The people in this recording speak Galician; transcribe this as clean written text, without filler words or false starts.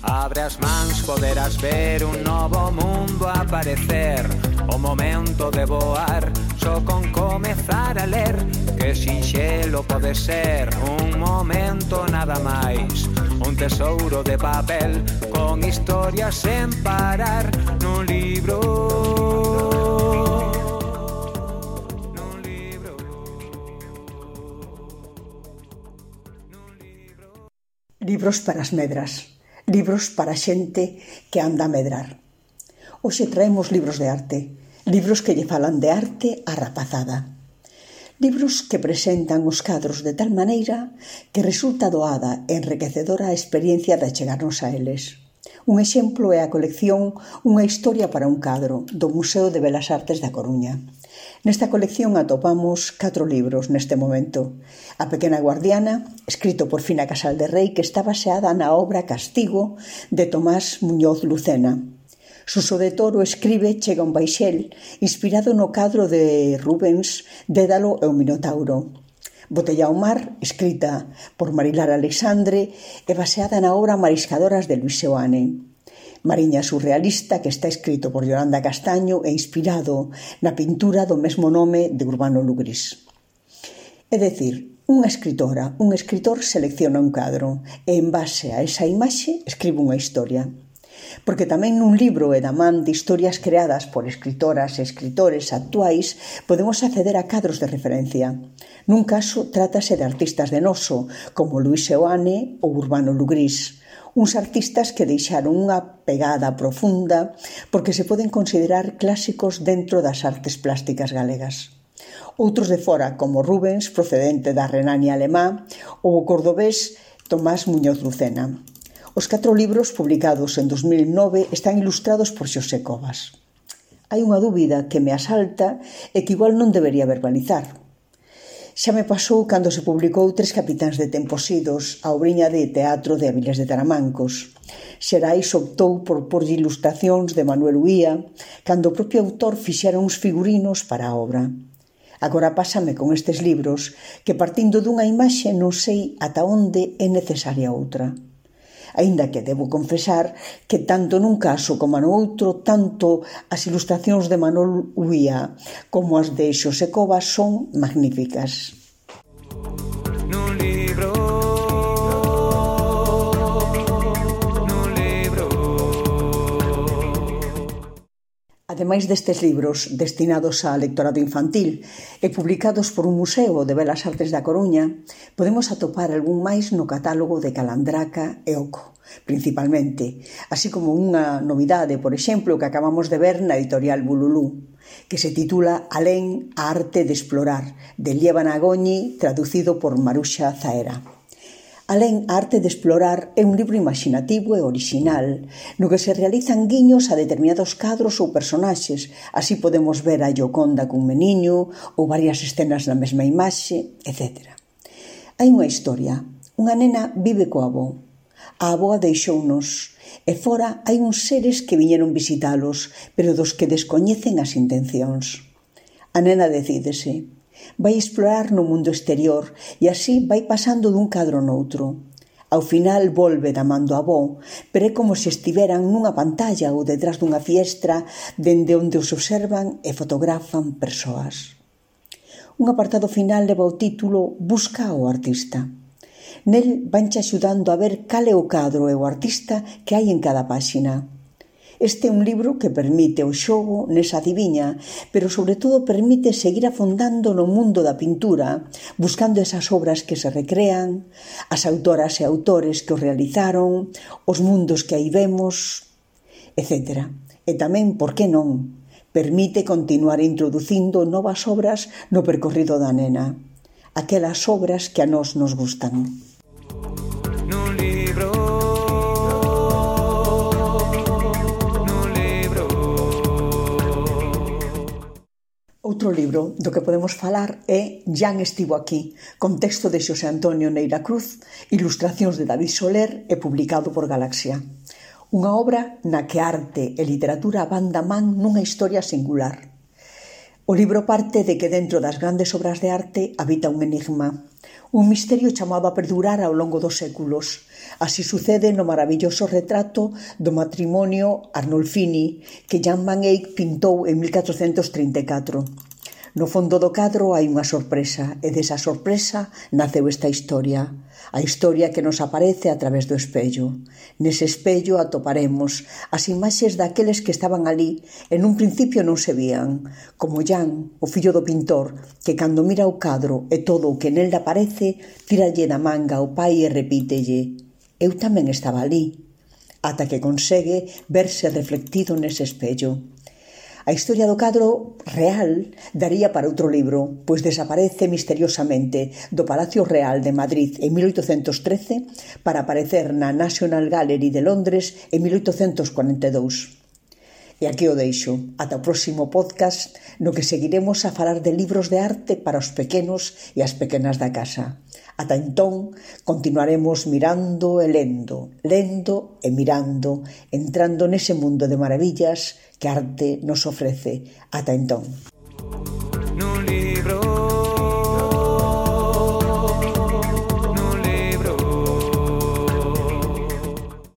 Abre as mans, poderás ver un novo mundo aparecer. O momento de voar, só con comezar a ler. Que sinxelo pode ser, un momento nada máis. Un tesouro de papel, con historias sen parar. Nun libro. Nun libro. Nun libro. Libros para as medras. Libros para a xente que anda a medrar. Hoxe traemos libros de arte, libros que lle falan de arte á rapazada. Libros que presentan os cadros de tal maneira que resulta doada e enriquecedora a experiencia de achegarnos a eles. Un exemplo é a colección Unha historia para un cadro, do Museo de Belas Artes da Coruña. Nesta colección atopamos 4 libros neste momento. A pequena guardiana, escrito por Fina Casal de Rei, que está baseada na obra Castigo de Tomás Muñoz Lucena. Suso de Toro escribe Chega un baixel, inspirado no cadro de Rubens, Dédalo e o Minotauro. Botella ao mar, escrita por Marilar Alexandre e baseada na obra Mariscadoras de Luis Seoane. Mariña surrealista, que está escrito por Yolanda Castaño e inspirado na pintura do mesmo nome de Urbano Lugris. É dicir, unha escritora, un escritor selecciona un cadro e en base a esa imaxe escribe unha historia. Porque tamén nun libro e da man de historias creadas por escritoras e escritores actuais podemos acceder a cadros de referencia. Nun caso, trátase de artistas de noso, como Luis Seoane ou Urbano Lugris, uns artistas que deixaron unha pegada profunda porque se poden considerar clásicos dentro das artes plásticas galegas. Outros de fora, como Rubens, procedente da Renania alemá, ou o cordobés Tomás Muñoz Lucena. Os 4 libros publicados en 2009 están ilustrados por Xosé Cobas. Hai unha dúbida que me asalta e que igual non debería verbalizar. Xa me pasou cando se publicou Tres capitáns de tempos idos, a obriña de teatro de Avilés de Taramancos. Xerais optou por porlle ilustracións de Manuel Uía, cando o propio autor fixera uns figurinos para a obra. Agora pásame con estes libros que, partindo dunha imaxe, non sei ata onde é necesaria outra. Aínda que debo confesar que tanto nun caso como no outro, tanto as ilustracións de Manuel Uía como as de Xosé Cobas son magníficas. Nun libro. Nun libro. Ademais destes libros destinados a lectorado infantil e publicados por un museo de Belas Artes da Coruña, podemos atopar algún máis no catálogo de Calandraca e Oco, principalmente, así como unha novidade, por exemplo, que acabamos de ver na editorial Bululú, que se titula Alén a arte de explorar, de Liébana Goñi, traducido por Maruxa Zaera. Alén a arte de explorar é un libro imaxinativo e orixinal, no que se realizan guiños a determinados cadros ou personaxes, así podemos ver a Gioconda cun meniño ou varias escenas na mesma imaxe, etc. Hai unha historia. Unha nena vive co avó. A avoa deixounos e fora hai uns seres que viñeron visitalos, pero dos que descoñecen as intencións. A nena decídese. Vai explorar no mundo exterior e así vai pasando dun cadro noutro. Ao final volve da man do avó, pero é como se estiveran nunha pantalla ou detrás dunha fiestra dende onde os observan e fotografan persoas. Un apartado final leva o título Busca ao artista. Nel vanche axudando a ver cal é o cadro e o artista que hai en cada páxina. Este é un libro que permite o xogo nesa adiviña, pero sobre todo permite seguir afondando no mundo da pintura, buscando esas obras que se recrean, as autoras e autores que o realizaron, os mundos que aí vemos, etc. E tamén, por que non, permite continuar introducindo novas obras no percorrido da nena, aquelas obras que a nós nos gustan. Nun libro. Outro libro do que podemos falar é Jan estivo aquí, con texto de Xosé Antonio Neira Cruz, ilustracións de David Soler e publicado por Galaxia. Unha obra na que arte e literatura van da man nunha historia singular. O libro parte de que dentro das grandes obras de arte habita un enigma, un misterio chamado a perdurar ao longo dos séculos. Así sucede no maravilloso retrato do matrimonio Arnolfini que Jan van Eyck pintou en 1434. No fondo do cadro hai unha sorpresa e desa sorpresa naceu esta historia. A historia que nos aparece a través do espello. Nese espello atoparemos as imaxes daqueles que estaban ali e nun principio non se vían, como Jan, o fillo do pintor, que cando mira o cadro e todo o que nel aparece, tíralle da manga ao pai e repítelle: eu tamén estaba ali, ata que consegue verse reflectido nese espello. A historia do cadro real daría para outro libro, pois desaparece misteriosamente do Palacio Real de Madrid en 1813 para aparecer na National Gallery de Londres en 1842. E aquí o deixo, ata o próximo podcast no que seguiremos a falar de libros de arte para os pequenos e as pequenas da casa. Ata entón, continuaremos mirando e lendo e mirando, entrando nese mundo de maravillas que a arte nos ofrece. Ata entón.